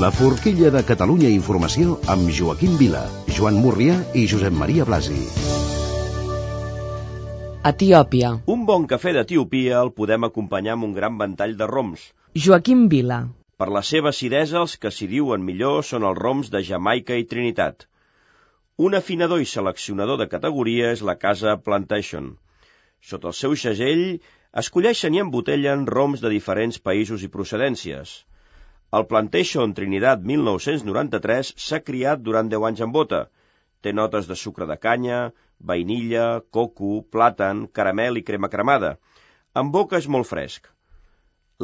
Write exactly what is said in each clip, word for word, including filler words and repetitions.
La forquilla de Catalunya Informació amb Joaquim Vila, Joan Murrià i Josep Maria Blasi. Etiòpia. Un bon cafè d'Etiòpia el podem acompanyar amb un gran ventall de roms. Joaquim Vila. Per la seva acidesa, els que s'hi diuen millor són els roms de Jamaica i Trinitat. Un afinador i seleccionador de categoria és la casa Plantation. Sota el seu segell, escolleixen i embotellen roms de diferents països i procedències. El Plantation Trinidad mil nou-cents noranta-tres s'ha criat durant deu anys en bota. Té notes de sucre de canya, vainilla, coco, plàtan, caramel i crema cremada. En boca és molt fresc.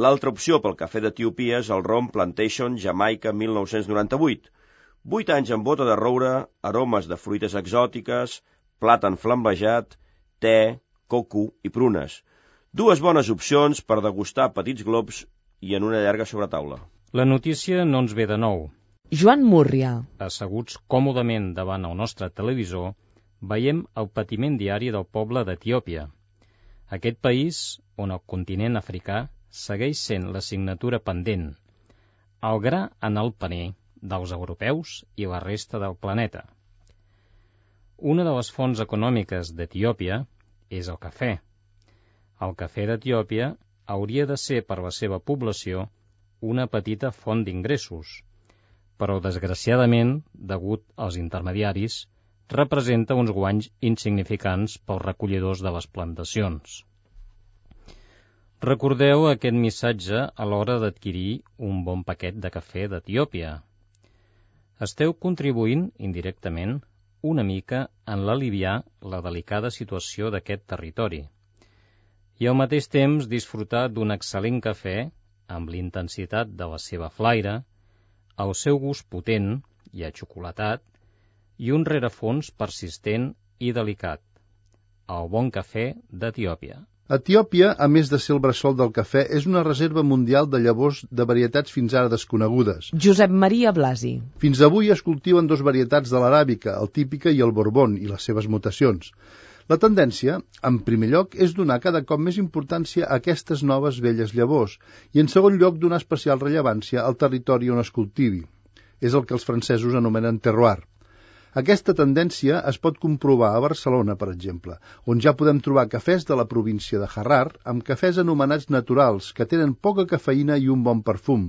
L'altra opció pel cafè d'Etiòpia és el rom Plantation Jamaica mil nou-cents noranta-vuit. Vuit anys en bota de roure, aromes de fruites exòtiques, plàtan flambejat, te, coco i prunes. Dues bones opcions per degustar petits globs i en una llarga sobretaula. La notícia no ens ve de nou. Joan Murrià. Asseguts còmodament davant el nostre televisor, veiem el patiment diari del poble d'Etiòpia. Aquest país, on el continent africà segueix sent l'assignatura pendent, el gra en el paner dels europeus i la resta del planeta. Una de les fonts econòmiques d'Etiòpia és el cafè. El cafè d'Etiòpia hauria de ser per la seva població una petita font d'ingressos, però desgraciadament, degut als intermediaris, representa uns guanys insignificants pels recollidors de les plantacions. Recordeu aquest missatge a l'hora d'adquirir un bon paquet de cafè d'Etiòpia. Esteu contribuint, indirectament, una mica en l'aliviar la delicada situació d'aquest territori i al mateix temps disfrutar d'un excel·lent cafè amb l'intensitat de la seva flaire, el seu gust potent i achocolatat i un rerefons persistent i delicat. El bon cafè d'Etiòpia. Etiòpia, a més de ser el bressol del cafè, és una reserva mundial de llavors de varietats fins ara desconegudes. Josep Maria Blasi. Fins avui es cultiven dos varietats de l'aràbica, el típica i el borbón, i les seves mutacions. La tendència, en primer lloc, és donar cada cop més importància a aquestes noves velles llavors i, en segon lloc, donar especial rellevància al territori on es cultivi. És el que els francesos anomenen terroir. Aquesta tendència es pot comprovar a Barcelona, per exemple, on ja podem trobar cafès de la província de Harrar amb cafès anomenats naturals, que tenen poca cafeïna i un bon perfum.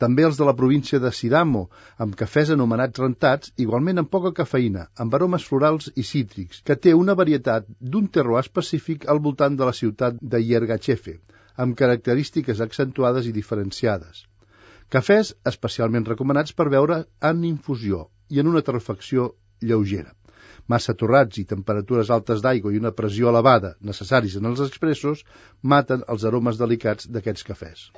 També els de la província de Sidamo, amb cafès anomenats rentats, igualment amb poca cafeïna, amb aromes florals i cítrics, que té una varietat d'un terroir específic al voltant de la ciutat de Yergachefe, amb característiques accentuades i diferenciades. Cafès especialment recomanats per beure en infusió i en una torrefacció lleugera. Massa torrats i temperatures altes d'aigua i una pressió elevada necessaris en els expressos maten els aromes delicats d'aquests cafès.